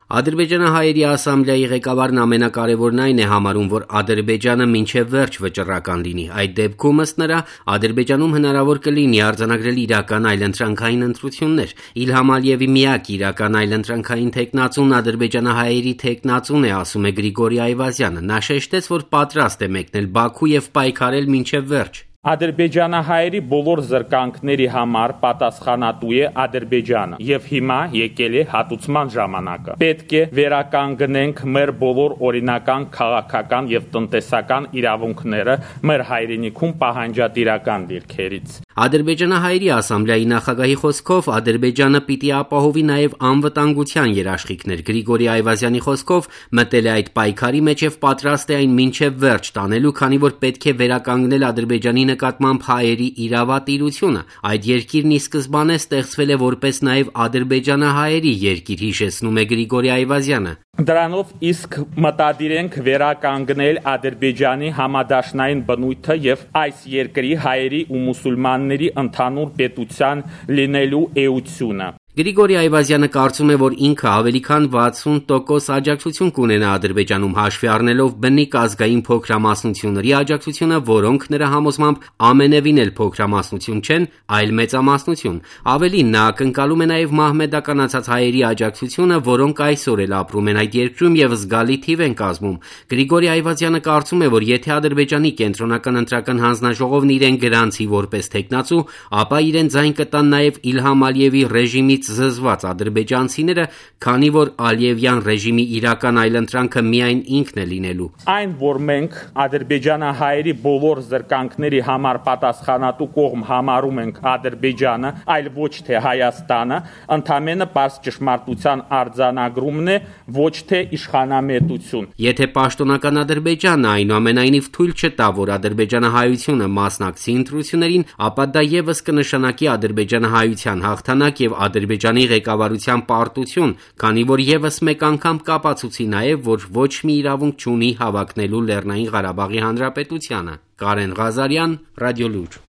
Ադրբեջանահայերի ասամբլեայի ղեկավարն ամենակարևորն այն է համարում, որ Ադրբեջանը մինչև վերջ վճռական լինի։ Այդ դեպքում, ըստ նրա, Ադրբեջանում հնարավոր կլինի արձանագրել իրական այլընտրանքային ընտրություններ։ Իլհամ Ալիևի միակ իրական այլընտրանքային թեկնածուն ադրբեջանահայերի թեկնածուն է, ասում է Գրիգորի Այվազյանը։ Նա շեշտեց, որ պատրաստ է մեկնել Բաքու եւ պայքարել մինչև վերջ։ Ադրբեջանահայերի բոլոր զրկանքների համար պատասխանատու է Ադրբեջանը եւ հիմա եկել է հատուցման ժամանակը։ Պետք է վերականգնենք մեր բոլոր օրինական քաղաքական եւ տնտեսական իրավունքները մեր հայրենիքում պահանջատիրական դիրքերից։ Ադրբեջանահայերի ասամբլեայի նախագահի խոսքով Ադրբեջանը պիտի ապահովի նաև անվտանգության երաշխիքներ։ Գրիգորի Այվազյանի խոսքով մտել է այդ պայքարի մեջ եւ պատրաստ է այն մինչև վերջ տանելու, քանի որ պետք է վերականգնել Ադրբեջանի նկատմամբ հայերի իրավատիրությունը։ Այդ երկիրն ի սկզբանե ստեղծվել է որպես նաև ադրբեջանահայերի երկիր, հիշեցնում է Գրիգորի Այվազյանը։ Դրանով իսկ մտադիր ենք վերականգնել Ադրբեջանի համադաշնային բնույթը եւ այս երկրի հայերի ու մուսուլմանների ընդհանուր պետության լինելու էությունը։ Գրիգորի Այվազյանը կարծում է, որ ինքը ավելի քան 60% աջակցություն կունենա Ադրբեջանում, հաշվի առնելով բնիկ ազգային փոքրամասնությունների աջակցությունը, որոնք նրա համոզմամբ ամենևին էլ փոքրամասնություն չեն, այլ մեծամասնություն։ Ավելին, նա ակնկալում է նաև մահմեդականացած հայերի աջակցությունը, որոնք այսօր էլ ապրում են այդ երկրում եւ զգալի թիվ են կազմում։ Գրիգորի Այվազյանը կարծում է, որ եթե Ադրբեջանի կենտրոնական ընտրական հանձնաժողովն իրեն գրանցի որպես թեկնածու, ապա իրեն ձայն կտան նաև Իլհամ Ալիևի ռեժիմից զզված ադրբեջանցիները, քանի որ Ալիևյան ռեժիմի իրական այլընտրանքը միայն ինքն է լինելու։ Այն, որ մենք ադրբեջանահայերի բոլոր զրկանքների համար պատասխանատու կողմ համարում ենք Ադրբեջանը, այլ ոչ թե Հայաստանը, ընդամենը պարզ ճշմարտության արձանագրումն է, ոչ թե իշխանամետություն։ Եթե պաշտոնական Ադրբեջանը այնուամենայնիվ թույլ չտա, որ ադրբեջանահայությունը մասնակցի ընտրություններին, ապա դա եւս կնշանակի ադրբեջանահայության հաղթանակ եւ Ադրբեջանի ղեկավարության պարտություն, քանի որ եւս մեկ անգամ կապացուցի նաեւ, որ ոչ մի իրավունք չունի հավակնելու Լեռնային Ղարաբաղի Հանրապետությանը։ Կարեն Ղազարյան, Ռադիոլուր։